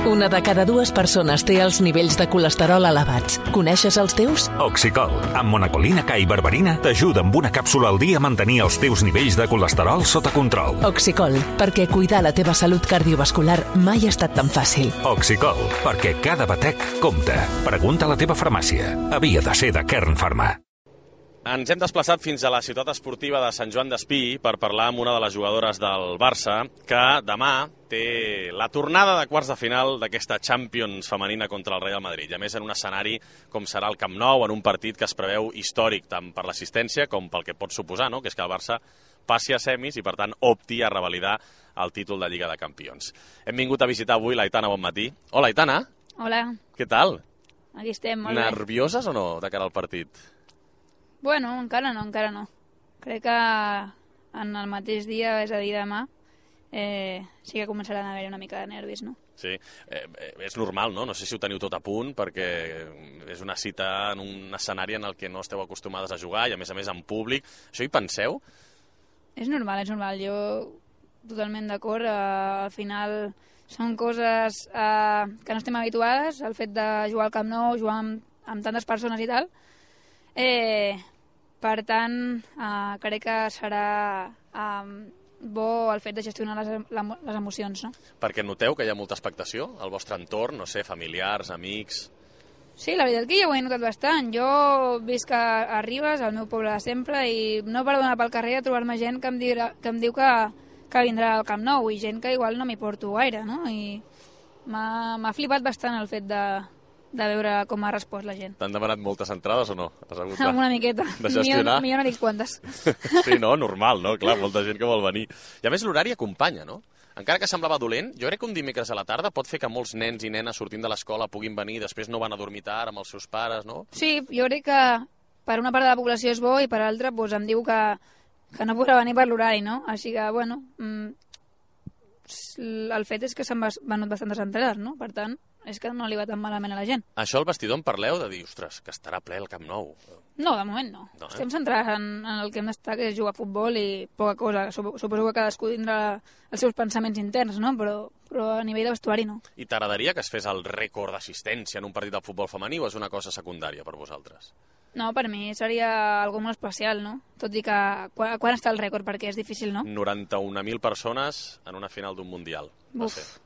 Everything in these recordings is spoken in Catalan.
Una de cada dues persones té els nivells de colesterol elevats. Coneixes els teus? Oxicol, amb monacolina K i berberina, t'ajuda amb una càpsula al dia a mantenir els teus nivells de colesterol sota control. Oxicol, perquè cuidar la teva salut cardiovascular mai ha estat tan fàcil. Oxicol, perquè cada batec compta. Pregunta a la teva farmàcia. Havia de ser de Kern Pharma. Ens hem desplaçat fins a la ciutat esportiva de Sant Joan d'Espí per parlar amb una de les jugadores del Barça que demà té la tornada de quarts de final d'aquesta Champions femenina contra el Real Madrid. I a més en un escenari com serà el Camp Nou, en un partit que es preveu històric tant per l'assistència com pel que pot suposar, no? Que és que el Barça passi a semis i per tant opti a revalidar el títol de Lliga de Campions. Hem vingut a visitar avui l'Aitana Bonmatí. Hola, Aitana. Hola. Què tal? Aquí estem, molt bé. Nervioses o no de cara al partit? Bueno, encara no. Crec que en el mateix dia, és a dir, demà, sí que començaran a haver una mica de nervis, no? Sí, és normal, no? No sé si ho teniu tot a punt, perquè és una cita en un escenari en el que no esteu acostumades a jugar i, a més en públic. Això hi penseu? És normal. Jo totalment d'acord. Al final són coses que no estem habituades, el fet de jugar al Camp Nou, jugar amb tantes persones i tal. Per tant, crec que serà bo el fet de gestionar les emocions, no? Perquè noteu que hi ha molta expectació al vostre entorn, no sé, familiars, amics... Sí, la veritat que jo ho he notat bastant. Jo visc a Ribes, al meu poble de sempre, i no paro d'anar pel carrer a trobar-me gent que em diu que vindrà al Camp Nou, i gent que igual no m'hi porto gaire, no? I m'ha flipat bastant el fet de veure com ha respost la gent. T'han demanat moltes entrades o no? Una miqueta. De gestionar? Millor no dic quantes. Sí, no? Normal, no? Clar, molta gent que vol venir. I a més l'horari acompanya, no? Encara que semblava dolent, jo crec que un dimecres a la tarda pot fer que molts nens i nenes sortint de l'escola puguin venir i després no van a dormir tard amb els seus pares, no? Sí, jo crec que per una part de la població és bo i per altra doncs, em diu que no podrà venir per l'horari, no? Així que, bueno, el fet és que s'han venut bastantes entrades, no? Per tant, és que no li va tan malament a la gent. Això al vestidor en parleu de dir, ostres, que estarà ple el Camp Nou. No, de moment no. Estem centrats en el que hem d'estar, que és jugar a futbol i poca cosa. Suposo que cadascú tindrà els seus pensaments interns, no? Però a nivell de vestuari no. I t'agradaria que es fes el rècord d'assistència en un partit de futbol femení o és una cosa secundària per vosaltres? No, per mi seria algo molt especial, no? Tot i que quan està el rècord, perquè és difícil, no? 91.000 persones en una final d'un Mundial. Buf.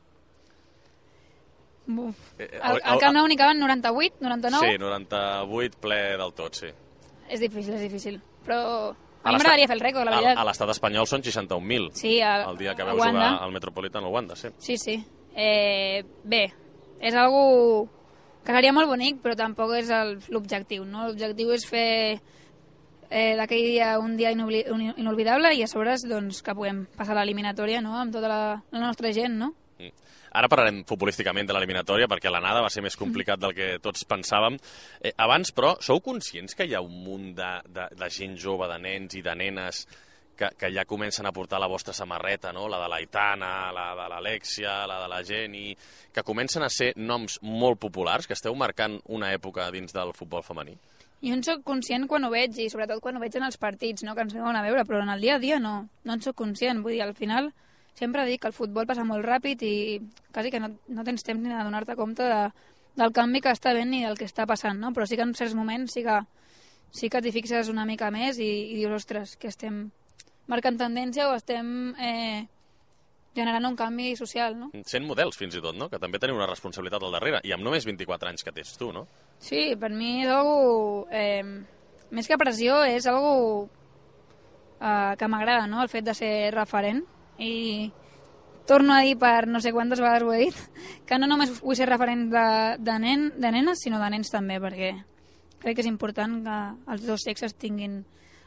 Al Camp Nou n'hi caben 98, 99? Sí, 98 ple del tot, sí. És difícil. Però a mi m'agradaria fer el rècord, la veritat. A l'estat espanyol són 61.000. Sí, el dia que vau jugar al Metropolitan al Wanda, sí. Sí. Bé, és algo que seria molt bonic, però tampoc és l'objectiu, no? L'objectiu és fer d'aquell dia un dia inolvidable i a sobre doncs, que puguem passar l'eliminatòria, no? Amb tota la nostra gent, no? Ara parlarem futbolísticament de l'eliminatòria perquè l'anada va ser més complicat del que tots pensàvem. Abans, però, sou conscients que hi ha un munt de gent jove, de nens i de nenes que ja comencen a portar la vostra samarreta, no? La de l'Aitana, la de l'Alexia, la de la Jenny, que comencen a ser noms molt populars, que esteu marcant una època dins del futbol femení? Jo en soc conscient quan ho veig, i sobretot quan ho veig en els partits, no? Que ens veuen a veure, però en el dia a dia no en soc conscient. Vull dir, al final sempre dic que el futbol passa molt ràpid i quasi que no tens temps ni de donar-te compte del canvi que està havent ni del que està passant, no? Però sí que en certs moments sí que t'hi fixes una mica més i dius, ostres, que estem marcant tendència o estem generant un canvi social, no? Sent models, fins i tot, no? Que també teniu una responsabilitat al darrere, i amb només 24 anys que tens tu, no? Sí, per mi és algo... més que pressió, és algo que m'agrada, no? El fet de ser referent. I torno a dir per no sé quantes vegades ho he dit, que no només vull ser referent de nenes, sinó de nens també, perquè crec que és important que els dos sexes tinguin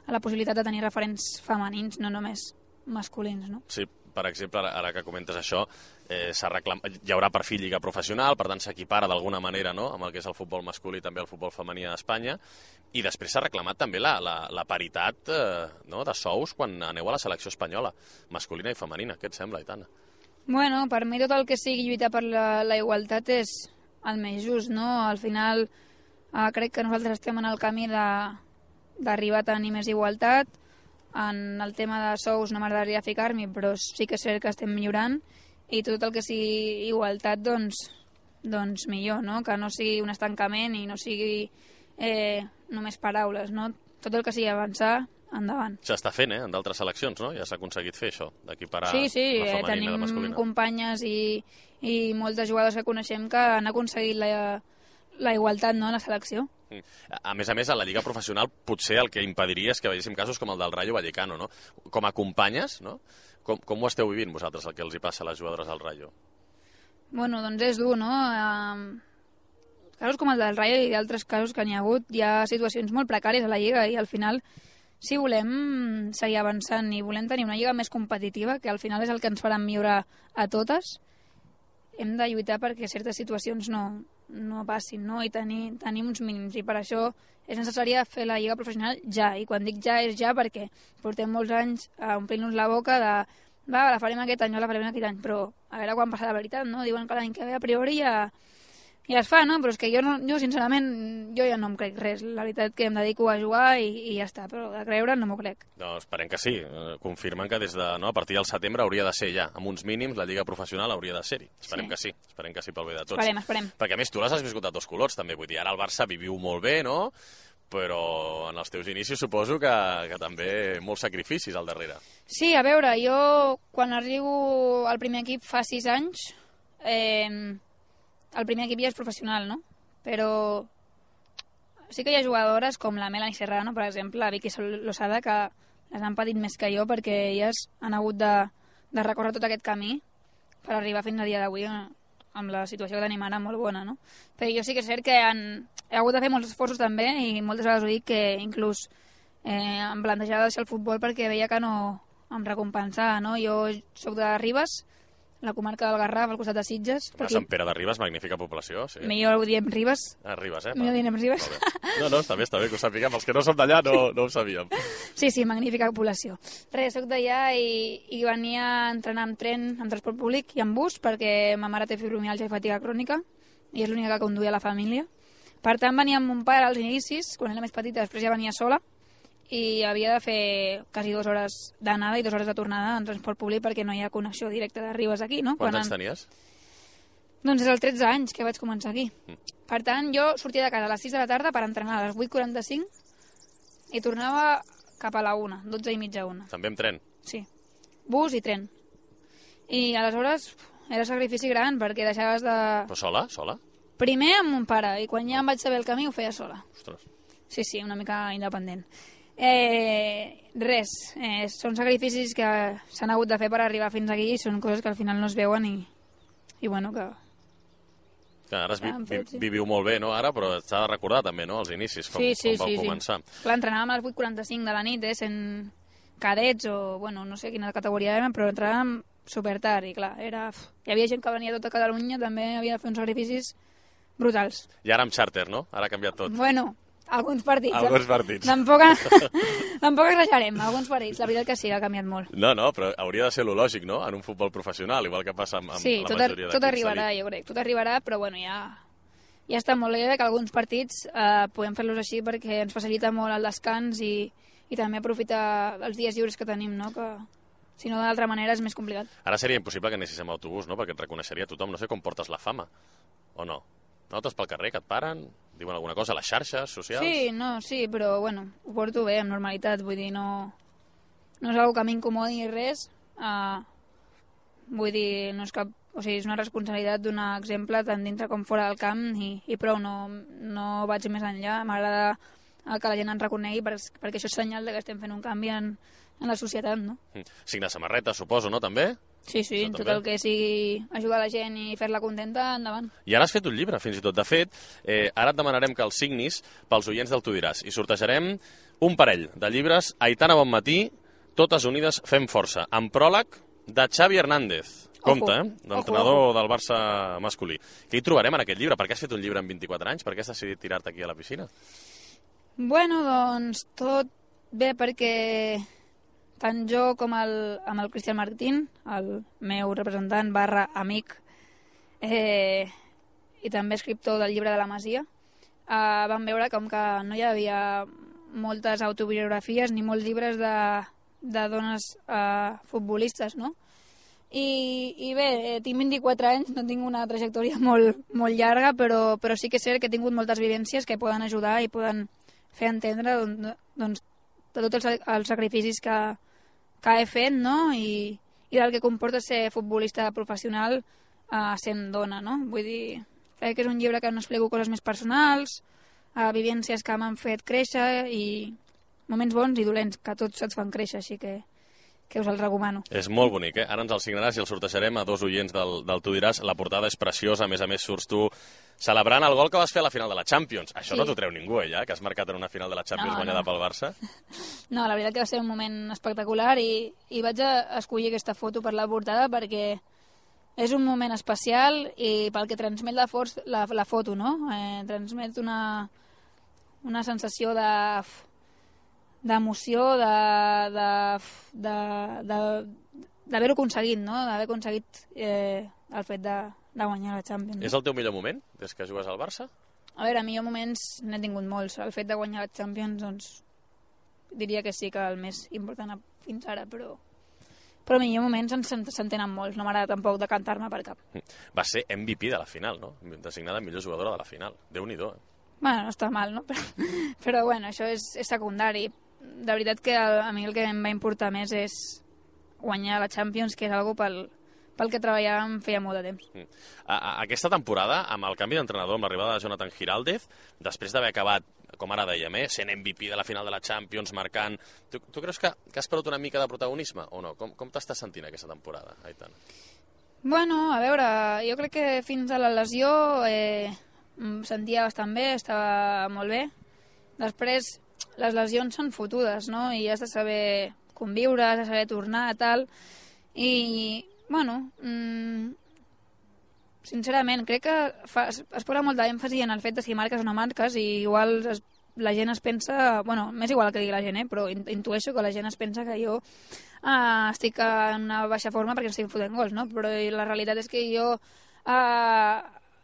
la possibilitat de tenir referents femenins, no només masculins, no? Sí, per exemple, ara que comentes això, hi haurà per fi lliga professional, per tant s'equipara d'alguna manera, no?, amb el que és el futbol masculí i també el futbol femení a Espanya, i després s'ha reclamat també la paritat de sous quan aneu a la selecció espanyola, masculina i femenina. Què et sembla, Aitana? Bueno, per mi tot el que sigui lluitar per la igualtat és el més just, no? Al final crec que nosaltres estem en el camí d'arribar a tenir més igualtat. En el tema de sous no m'agradaria ficar-m'hi, però sí que és cert que estem millorant, i tot el que sigui igualtat, doncs, doncs millor, no? Que no sigui un estancament i no sigui només paraules, no? Tot el que sigui avançar, endavant. S'està fent, en d'altres seleccions, no? Ja s'ha aconseguit fer això, d'equiparar sí, la femenina i la tenim masculina. companyes i moltes jugadors que coneixem que han aconseguit la igualtat, no?, en la selecció. A més, a la Lliga Professional potser el que impediria és que veiéssim casos com el del Rayo Vallecano, no? Com a companyes, no? Com ho esteu vivint vosaltres, el que els hi passa a les jugadores del Rayo? Bueno, doncs és dur, no? Casos com el del Rayo i d'altres casos que n'hi ha hagut, hi ha situacions molt precàries a la Lliga i al final, si volem seguir avançant i volem tenir una Lliga més competitiva, que al final és el que ens farà millorar a totes, hem de lluitar perquè certes situacions no passin, no? I tenim uns mínims, i per això és necessària fer la Lliga Professional ja, i quan dic ja és ja perquè portem molts anys a omplir-nos la boca de la farem aquest any, no la farem aquest any, però a veure quan passa la veritat, no? Diuen que l'any que ve a priori ja es fa, no? Però és que jo sincerament, jo ja no em crec res. La veritat que em dedico a jugar i ja està, però de creure no m'ho crec. No, esperem que sí. Confirmen que des de, no, a partir del setembre hauria de ser ja. Amb uns mínims, la Lliga Professional hauria de ser-hi. Esperem que sí pel bé de tots. Esperem. Perquè a més tu les has viscut a dos colors, també. Vull dir, ara el Barça viviu molt bé, no? Però en els teus inicis suposo que també molts sacrificis al darrere. Sí, a veure, jo quan arribo al primer equip fa 6 anys, el primer equip ja és professional, no? Però sí que hi ha jugadores com la Melanie Serrano, per exemple, la Vicky Losada, que les han patit més que jo perquè elles han hagut de recórrer tot aquest camí per arribar fins a dia d'avui amb la situació que tenim ara molt bona, no? Però jo sí que és cert que he hagut de fer molts esforços també i moltes vegades ho dic que inclús em plantejava deixar el futbol perquè veia que no em recompensava, no? Jo soc de Ribes, la comarca del Garraf, al costat de Sitges. Sant Pere de Ribes, magnífica població. Sí. Millor ho diem Ribes. Ribes, Millor diem Ribes. No, està bé que ho sapiguem. Els que no som d'allà no ho sabíem. Sí, magnífica població. Res, soc d'allà i venia a entrenar amb tren, amb transport públic i amb bus, perquè ma mare té fibromialgia i fatiga crònica i és l'única que conduïa la família. Per tant, venia amb mon pare als inicis, quan era més petita, després ja venia sola, i havia de fer quasi 2 hores d'anada i 2 hores de tornada en transport públic perquè no hi ha connexió directa de Ribes aquí, no? Quants anys tenies? Doncs és els 13 anys que vaig començar aquí. Per tant, jo sortia de casa a les 6 de la tarda per entrenar a les 8:45 i tornava cap a la 1, 12 i mitja 1. També amb tren? Sí, bus i tren. I aleshores era sacrifici gran perquè deixaves de... Però sola? Primer amb mon pare, i quan ja em vaig saber el camí ho feia sola. Ostres. Sí, una mica independent. Són sacrificis que s'han hagut de fer per arribar fins aquí i són coses que al final no es veuen i bueno, que... Ara viviu molt bé, no, ara, però s'ha de recordar també, no, els inicis, com vau començar. Clar, entrenàvem a les 8:45 de la nit, sent cadets o, bueno, no sé quina categoria érem, però entrenàvem supertard i clar, hi havia gent que venia de tota Catalunya, també havia de fer uns sacrificis brutals. I ara amb xàrter, no? Ara ha canviat tot. Bueno, alguns partits. Tampoc exagerem, alguns partits. La veritat que sí, ha canviat molt. No, però hauria de ser lo lògic, no?, en un futbol professional, igual que passa amb la majoria d'equips. Sí, tot arribarà, jo crec. Tot arribarà, però bueno, ja està molt bé que alguns partits podem fer-los així perquè ens facilita molt el descans i també aprofitar els dies lliures que tenim, no?, que si no d'altra manera és més complicat. Ara seria impossible que anessis amb autobús, no?, perquè et reconeixeria tothom. No sé com portes la fama, o no? Notes pel carrer que et paren, diuen alguna cosa a les xarxes socials? Sí, però bueno, ho porto bé, amb normalitat, vull dir, no és una cosa que m'incomodi res, vull dir, no és cap, o sigui, és una responsabilitat donar exemple tant dintre com fora del camp i prou, no vaig més enllà, m'agrada que la gent ens reconegui perquè això és senyal que estem fent un canvi en la societat, no? Signar samarretes, suposo, no, també? Sí, tot el que sigui ajudar la gent i fer-la contenta, endavant. I ara has fet un llibre, fins i tot. De fet, ara et demanarem que el signis pels oients del Tu diràs i sortejarem un parell de llibres Aitana Bonmatí, Totes unides fem força, amb pròleg de Xavi Hernández. Compte, l'entrenador del Barça masculí. Què hi trobarem en aquest llibre? Per què has fet un llibre en 24 anys? Per què has decidit tirar-te aquí a la piscina? Bueno, doncs tot bé perquè tant jo com amb el Cristian Martín, el meu representant / amic i també escriptor del llibre de la Masia, vam veure com que no hi havia moltes autobiografies ni molts llibres de dones futbolistes, no? I bé, tinc 24 anys, no tinc una trajectòria molt llarga, però sí que és cert que he tingut moltes vivències que poden ajudar i poden fer entendre doncs, de tots els sacrificis que he fet, no? I del que comporta ser futbolista professional sent dona, no? Vull dir, crec que és un llibre que no explico coses més personals, vivències que m'han fet créixer i moments bons i dolents, que tots et fan créixer, així que us el recomano. És molt bonic, Ara ens el signaràs i el sortejarem a 2 oients del Tu diràs. La portada és preciosa, a més surts tu celebrant el gol que vas fer a la final de la Champions. Això no t'ho treu ningú, ja, que has marcat en una final de la Champions guanyada pel Barça? No, la veritat que va ser un moment espectacular i vaig escollir aquesta foto per la portada perquè és un moment especial i pel que transmet la foto, no? Transmet una sensació d'emoció, d'haver-ho aconseguit, no? D'haver aconseguit el fet de guanyar la Champions. És el teu millor moment, des que jugues al Barça? A veure, millor moments n'he tingut molts. El fet de guanyar la Champions, doncs, diria que sí que el més important fins ara, però millor moments s'entenen molts. No m'agrada tampoc de cantar-me per cap. Va ser MVP de la final, no? Designada millor jugadora de la final. Déu-n'hi-do, Bueno, no està mal, no? Però bueno, això és secundari. De veritat que a mi el que em va importar més és guanyar la Champions, que és algo pel que treballàvem feia molt de temps. Aquesta temporada, amb el canvi d'entrenador, amb l'arribada de Jonathan Giraldez, després d'haver acabat, com ara dèiem, sent MVP de la final de la Champions, marcant... Tu creus que has perdut una mica de protagonisme o no? Com t'estàs sentint aquesta temporada, Aitana? Bueno, a veure, jo crec que fins a la lesió em sentia bastant bé, estava molt bé. Després, les lesions són fotudes, no? I has de saber conviure, has de saber tornar, tal. I, bueno, sincerament, crec que es posa molta èmfasi en el fet de si marques o no marques i igual la gent es pensa... Bueno, m'és igual que digui la gent, però intueixo que la gent es pensa que jo estic en una baixa forma perquè estic fotent gols, no? Però la realitat és que jo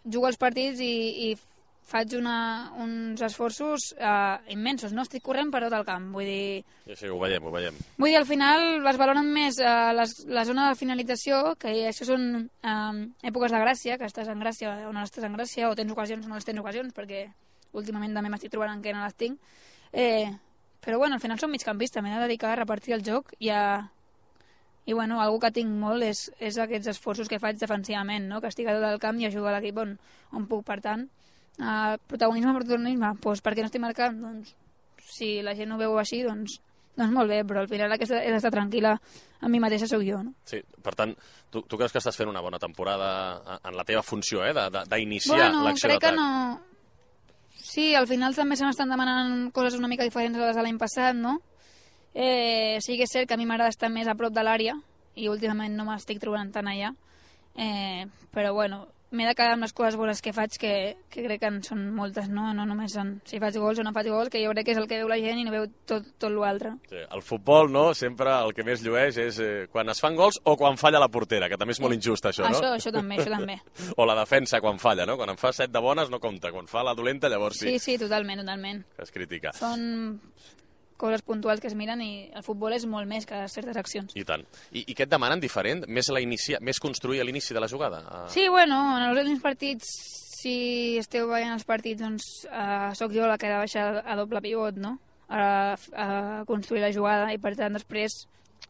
jugo als partits i faig uns esforços immensos, no? Estic corrent per tot el camp, vull dir... Sí, ho veiem. Vull dir, al final es valoren més la zona de finalització, que això són èpoques de gràcia, que estàs en gràcia o no estàs en gràcia, o tens ocasions o no tens ocasions, perquè últimament també m'estic trobant en què no les tinc. Però bueno, al final som migcampista, m'he de dedicar a repartir el joc i bueno, algú que tinc molt és aquests esforços que faig defensivament, no? Que estic a tot el camp i ajudo a l'equip on puc. Per tant, protagonisme, doncs perquè no estic marcant, doncs si la gent ho veu així, doncs molt bé, però al final aquesta he d'estar tranquil·la amb mi mateixa sóc jo, no? Sí, per tant, tu creus que estàs fent una bona temporada en la teva funció, d'iniciar l'acció d'atac? Crec que no. Sí, al final també se m'estan demanant coses una mica diferents a les de l'any passat, no? Sí que és cert que a mi m'agrada estar més a prop de l'àrea i últimament no m'estic trobant tant allà, però bueno, m'he de quedar amb les coses bones que faig, que crec que en són moltes, no? No només si faig gols o no faig gols, que jo crec que és el que veu la gent i no veu tot l'altre. Sí, el futbol, no?, sempre el que més llueix és quan es fan gols o quan falla la portera, que també és molt injust, això, no? Això també. O la defensa quan falla, no? Quan en fa 7 de bones no compta, quan fa la dolenta llavors sí. Sí, totalment. Que es critica. Són coses puntuals que es miren i el futbol és molt més que certes accions. I tant. I què et demanen diferent? Més construir a l'inici de la jugada? Sí, bueno, en els últims partits, si esteu veient els partits, doncs sóc jo la que ha de baixar a doble pivot, no? A construir la jugada i per tant després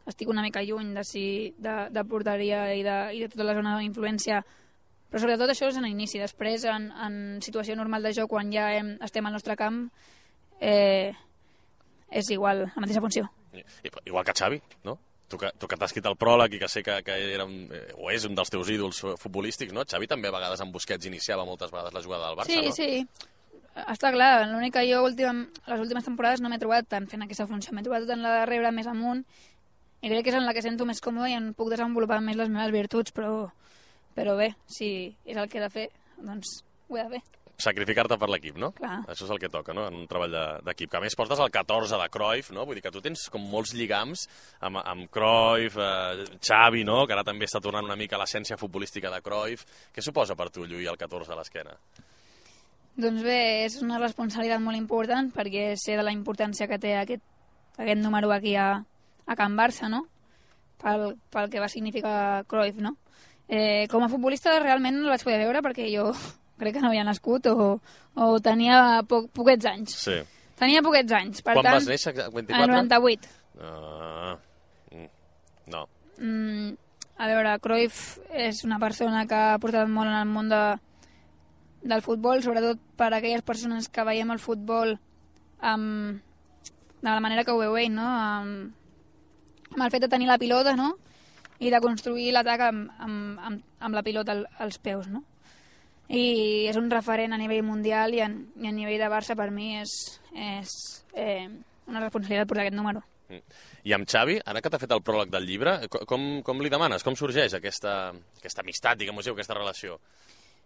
estic una mica lluny de porteria i de tota la zona d'influència, però sobretot això és en l'inici. Després, en situació normal de joc, quan ja estem al nostre camp, és igual, la mateixa funció. Igual que Xavi, no? Tu que t'has escrit el pròleg i que sé que era o és un dels teus ídols futbolístics, no? Xavi també a vegades amb Busquets iniciava moltes vegades la jugada del Barça, no? Sí. Està clar, l'únic que jo les últimes temporades no m'he trobat tant fent aquesta funció, m'he trobat tant la de rebre més amunt i crec que és en la que sento més còmode i en puc desenvolupar més les meves virtuts, però bé, si és el que he de fer, doncs ho he de fer. Sacrificar-te per l'equip, no? Clar. Això és el que toca, no?, en un treball d'equip. Que a més portes el 14 de Cruyff, no? Vull dir que tu tens com molts lligams amb Cruyff, Xavi, no?, que ara també està tornant una mica a l'essència futbolística de Cruyff. Què suposa per tu lluir el 14 a l'esquena? Doncs bé, és una responsabilitat molt important perquè sé de la importància que té aquest número aquí a Can Barça, no? pel que va significar Cruyff, no? Com a futbolista realment no el vaig poder veure perquè jo crec que no havia nascut o tenia poquets anys. Sí. Tenia poquets anys, per Quan tant... vas néixer? 24? El 98. No. A veure, Cruyff és una persona que ha portat molt en el món del futbol, sobretot per a aquelles persones que veiem el futbol de la manera que ho veu ell, no? Amb el fet de tenir la pilota, no? I de construir l'atac amb la pilota als peus, no? I és un referent a nivell mundial i a nivell de Barça per mi és una responsabilitat portar aquest número. I amb Xavi, ara que t'ha fet el pròleg del llibre, com li demanes? Com sorgeix aquesta amistat, diguem-ho, aquesta relació?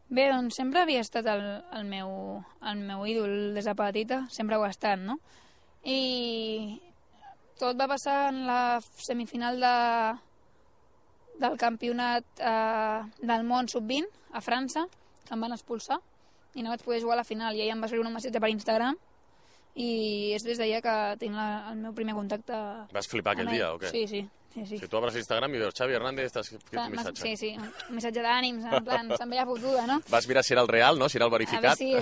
Bé, doncs sempre havia estat el meu ídol des de petita, sempre ho ha estat, no? I tot va passar en la semifinal del campionat del món sub-20 a França, que em van expulsar i no vaig poder jugar a la final i ell em va escriure un missatge per Instagram i és des d'allà que tinc el meu primer contacte. Vas flipar aquell dia o què? Sí. Si tu obres Instagram i veus Xavi Hernández, t'has escrit un missatge. Sí, un missatge d'ànims, en plan, se'n veia fotuda, no? Vas mirar si era el real, no? Si era el verificat. Sí,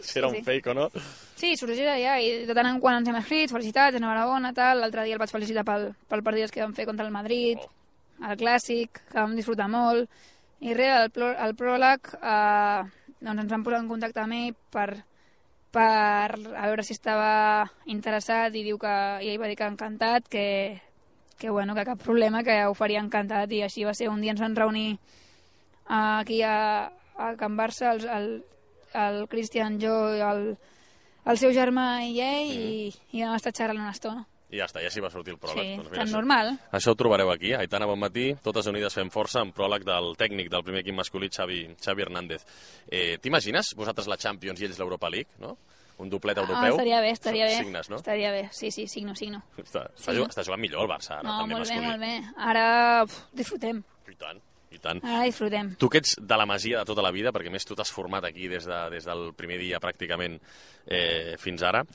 si era un fake o no. Sí, sorgeix d'allà i de tant en quant ens hem escrit, felicitats, enhorabona, tal. L'altre dia el vaig felicitar pel partit que vam fer contra el Madrid, el Clàssic, que vam disfrutar molt. I res, el pròleg, doncs ens vam posar en contacte amb ell per a veure si estava interessat i ell va dir que encantat, que cap problema, que ho faria encantat i així va ser. Un dia ens vam reunir aquí a Can Barça, el Cristian, jo, el seu germà i ell i vam estar xerrant una estona. I ja està, i així va sortir el pròleg. Sí, doncs tan normal. Això ho trobareu aquí, Aitana, bon matí, totes unides fem força, amb pròleg del tècnic del primer equip masculí, Xavi Hernández. T'imagines vosaltres la Champions i ells l'Europa League, no? Un doplet europeu? Estaria bé. Signes, no? Estaria bé, sí, signo. Està jugant millor el Barça, ara, també masculí. Molt bé. Ara disfrutem. I tant. Ara disfrutem. Tu que ets de la Masia de tota la vida, perquè més tu t'has format aquí des del primer dia pràcticament fins ara,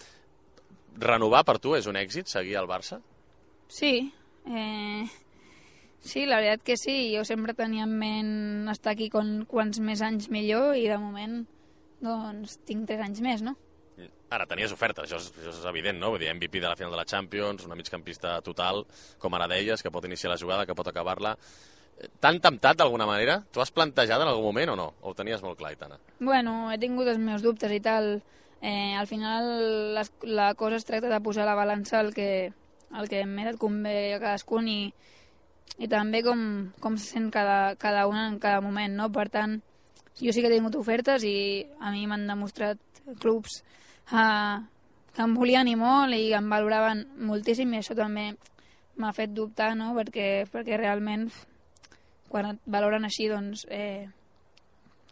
renovar per tu és un èxit, seguir al Barça? Sí, sí, la veritat que sí. Jo sempre tenia en ment estar aquí quants més anys millor i de moment doncs tinc 3 anys més, no? Ara, tenies oferta, això és evident, no? Vull dir, MVP de la final de la Champions, una migcampista total, com ara deies, que pot iniciar la jugada, que pot acabar-la. T'han temptat d'alguna manera? T'ho has plantejat en algun moment o no? O ho tenies molt clar, Aitana? Bueno, he tingut els meus dubtes i tal. Al final la cosa es tracta de posar a la balança el que més et convé a cadascun i també com se sent cada un en cada moment, no? Per tant, jo sí que he tingut ofertes i a mi m'han demostrat clubs que em volien i molt i em valoraven moltíssim i això també m'ha fet dubtar, no? Perquè realment quan et valoren així doncs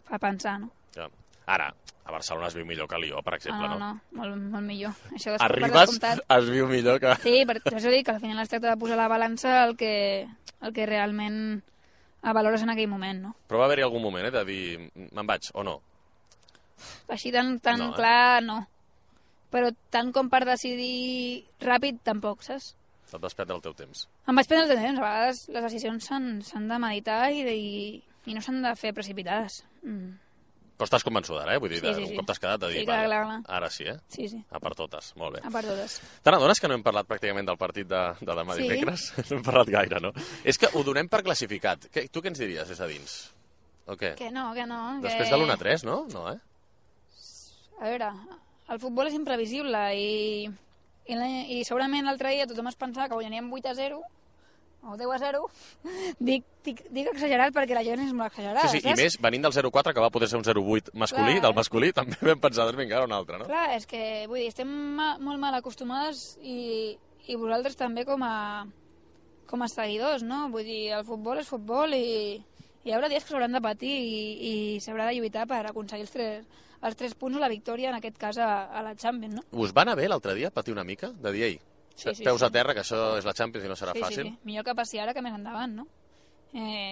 fa pensar, no? Ja. Ara, a Barcelona es viu millor que a Lió, per exemple, no? No, molt millor. Això Arribes, es viu millor que... Sí, per això dic que al final es tracta de posar a la balança el que realment valores en aquell moment, no? Però va haver-hi algun moment, de dir, me'n vaig, o no? Així tan no, clar, no. Però tant com per decidir ràpid, tampoc, saps? Et vas prendre el teu temps. Em vaig prendre el temps. A vegades les decisions s'han de meditar i no s'han de fer precipitades. Però estàs convençuda ara, Vull dir, un cop t'has quedat de dir, sí, clar. Ara sí, Sí. A per totes, molt bé. A per totes. Te n'adones que no hem parlat pràcticament del partit de demà dimecres? No hem parlat gaire, no? És que ho donem per classificat. Tu què ens diries des de dins? O què? Que no. Després de l'1-3, no? No, A veure, el futbol és imprevisible i segurament l'altre dia tothom es pensava que guanyaríem 8-0 o 10-0. Dic exagerat perquè la gent és molt exagerada. Sí, i més, venint del 0-4, que va poder ser un 0-8 masculí, del masculí, també vam pensar, doncs vinga, ara un altre, no? Clar, és que, vull dir, estem molt mal acostumades i vosaltres també com a seguidors, no? Vull dir, el futbol és futbol i hi haurà dies que s'hauran de patir i s'haurà de lluitar per aconseguir els 3 punts o la victòria, en aquest cas a la Champions, no? Us va anar bé l'altre dia patir una mica? De dir, peus a terra, que això és la Champions i no serà fàcil? Sí, millor que passi ara que més endavant, no?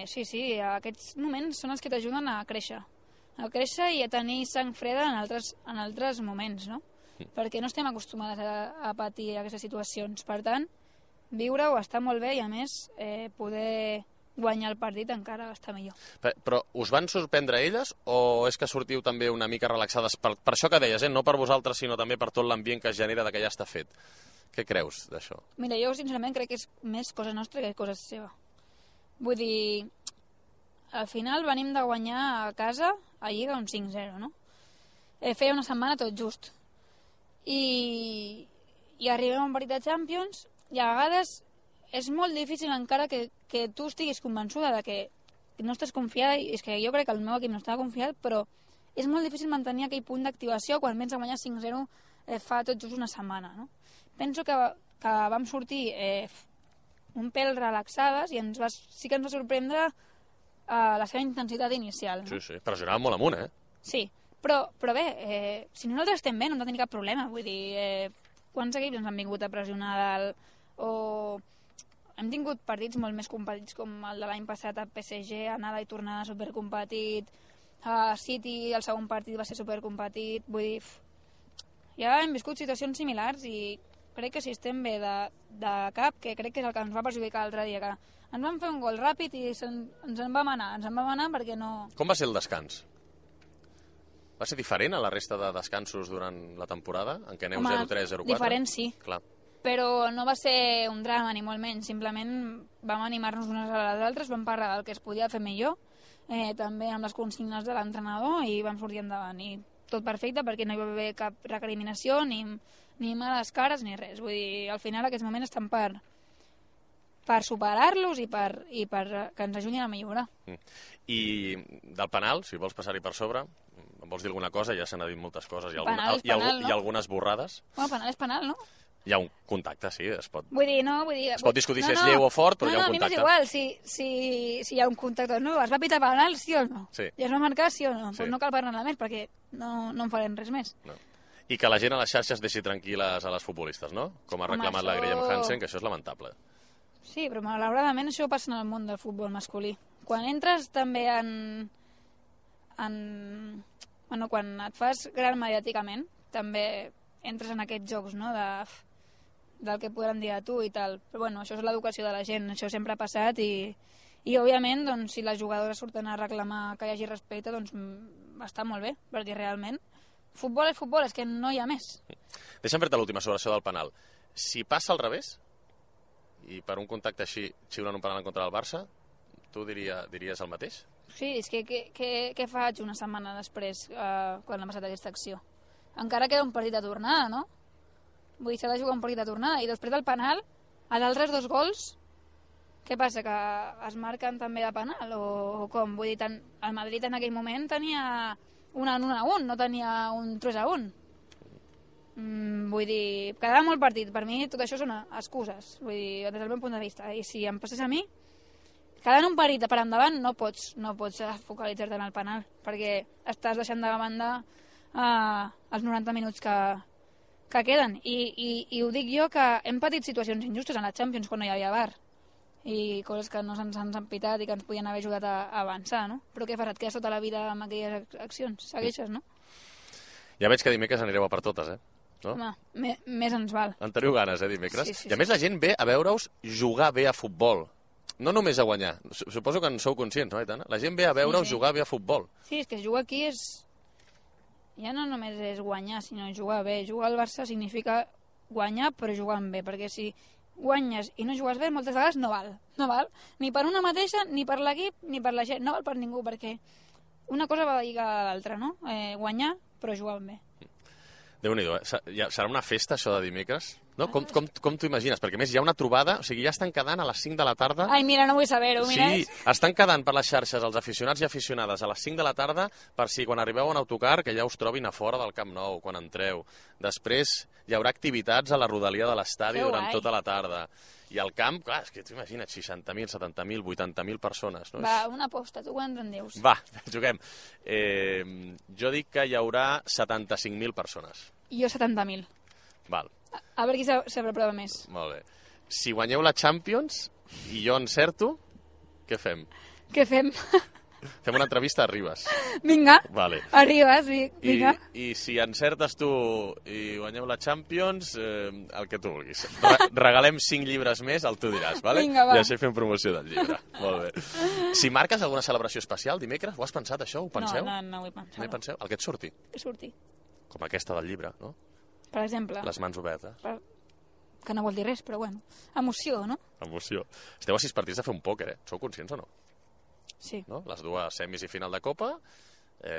Sí, aquests moments són els que t'ajuden a créixer i a tenir sang freda en altres moments, no? Perquè no estem acostumades a patir aquestes situacions. Per tant, viure-ho està molt bé i, a més, poder guanyar el partit encara està millor. Però us van sorprendre elles o és que sortiu també una mica relaxades per això que deies, no per vosaltres, sinó també per tot l'ambient que es genera que ja està fet? Què creus d'això? Mira, jo sincerament crec que és més cosa nostra que cosa seva. Vull dir, al final venim de guanyar a casa a Lliga un 5-0, no? Feia una setmana tot just. I arribem a un partit de Champions i a vegades és molt difícil encara que tu estiguis convençuda de que no estàs confiada, i és que jo crec que el meu equip no estava confiat, però és molt difícil mantenir aquell punt d'activació quan vens a guanyar 5-0 fa tot just una setmana, no? Penso que vam sortir un pèl relaxades i sí que ens va sorprendre la seva intensitat inicial. No? Sí, pressionàvem molt amunt, Sí, però bé, si nosaltres estem bé no hem de tenir cap problema, vull dir, quants equips ens han vingut a pressionar dalt, o hem tingut partits molt més competits com el de l'any passat a PSG, anada i tornada supercompetit, a City el segon partit va ser supercompetit, vull dir, ja hem viscut situacions similars i crec que si estem bé de cap, que crec que és el que ens va perjudicar l'altre dia, que ens van fer un gol ràpid i ens en vam anar perquè no... Com va ser el descans? Va ser diferent a la resta de descansos durant la temporada, en què aneu 0-3, 0-4? Diferent sí. Clar. Però no va ser un drama, ni molt menys. Simplement vam animar-nos unes a les altres, vam parlar del que es podia fer millor, també amb les consignes de l'entrenador, i vam sortir endavant. I tot perfecte, perquè no hi va haver cap recriminació, ni males cares, ni res. Vull dir, al final aquests moments estan per superar-los i per que ens ajudin a millorar. I del penal, si vols passar-hi per sobre, em vols dir alguna cosa? Ja se n'ha dit moltes coses. Hi ha algunes borrades. Bueno, penal és penal, no? Hi ha un contacte, sí, es pot... Es pot discutir si és lleu o fort, però hi ha un contacte. A mi m'és igual si hi ha un contacte o no. Es va pitar penal, sí o no? Sí. I es va marcar, sí o no? Sí. Pues no cal parlar més, perquè no en farem res més. No. I que la gent a les xarxes deixi tranquil·les a les futbolistes, no? Com ha reclamat la Graham Hansen, que això és lamentable. Sí, però malauradament això passa en el món del futbol masculí. Quan entres també bueno, quan et fas gran mediàticament, també entres en aquests jocs, no?, del que podran dir a tu i tal. Però bueno, això és l'educació de la gent, això sempre ha passat i òbviament, doncs, si les jugadores surten a reclamar que hi hagi respecte, doncs està molt bé, perquè realment futbol és futbol, és que no hi ha més. Deixa'm fer-te l'última sobre això del penal. Si passa al revés, i per un contacte així xiulen un penal en contra del Barça, tu diries el mateix? Sí, és que què faig una setmana després quan ha passat aquesta acció? Encara queda un partit de tornada, no? Vull dir, s'ha de jugar un partit de tornada. I després del penal, els altres 2 gols, què passa, que es marquen també de penal? O com? Vull dir, el Madrid en aquell moment tenia un 1-1, no tenia un 3-1. Vull dir, quedava molt partit. Per mi tot això són excuses, vull dir, des del meu punt de vista. I si em passés a mi, quedant un partit per endavant no pots focalitzar-te en el penal, perquè estàs deixant de banda els 90 minuts que queden. I ho dic jo, que hem patit situacions injustes en la Champions quan no hi havia VAR, i coses que no se'ns han pitat i que ens podien haver ajudat a avançar, no? Però què fas, et quedes tota la vida amb aquelles accions? Segueixes, no? Ja veig que dimecres anireu a per totes, no? Home, més ens val. En teniu ganes, dimecres? Sí. I a més la gent ve a veure-us jugar bé a futbol. No només a guanyar. Suposo que en sou conscients, no, Aitana? La gent ve a veure-us jugar bé a futbol. Sí, és que jugar aquí ja no només és guanyar, sinó jugar bé. Jugar al Barça significa guanyar, però jugant bé, perquè si guanyes i no jugues bé, moltes vegades no val. No val. Ni per una mateixa, ni per l'equip, ni per la gent. No val per ningú, perquè una cosa va lligada a l'altra, no? Guanyar, però jugant bé. Déu-n'hi-do, serà una festa, això de dimecres? No? Com t'ho imagines? Perquè, a més, hi ha una trobada, o sigui, ja estan quedant a les 5 de la tarda... Ai, mira, no vull saber-ho, mira. Sí, estan quedant per les xarxes els aficionats i aficionades a les 5 de la tarda per si quan arribeu en autocar que ja us trobin a fora del Camp Nou, quan entreu. Després hi haurà activitats a la rodalia de l'estadi durant tota la tarda. I al camp, clar, és que t'ho imagina't, 60.000, 70.000, 80.000 persones. No? Va, una aposta, tu quants en dius? Va, juguem. Jo dic que hi haurà 75.000 persones. Jo 70.000. Val. A veure qui s'aprova més. Molt bé. Si guanyeu la Champions i jo encerto, què fem? Què fem? Fem una entrevista a Ribas. Vinga, Vale. arribes, vinga. I si encertes tu i guanyeu la Champions, el que tu vulguis. Regalem 5 llibres més, el tu diràs, vale? Vinga, va. I així fem promoció del llibre. Molt bé. Si marques alguna celebració especial dimecres, ho has pensat, això? Ho penseu? No ho he pensat. No hi penseu? El que et surti. Que surti. Com aquesta del llibre, no? Per exemple. Les mans obertes. Que no vol dir res, però bueno. Emoció, no? Emoció. Esteu a 6 partits de fer un pòquer, Sou conscients o no? Sí. No? Les dues semis i final de Copa,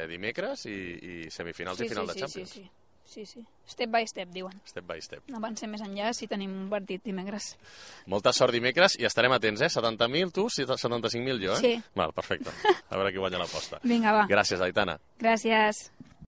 dimecres, i semifinals i final de Champions. Sí. Step by step, diuen. Step by step. No avancem més enllà si tenim un partit dimecres. Molta sort dimecres i estarem atents, 70.000 tu, 75.000 jo, Sí. Val, perfecte. A veure qui guanya l'aposta. Vinga, va. Gràcies, Aitana. Gràcies.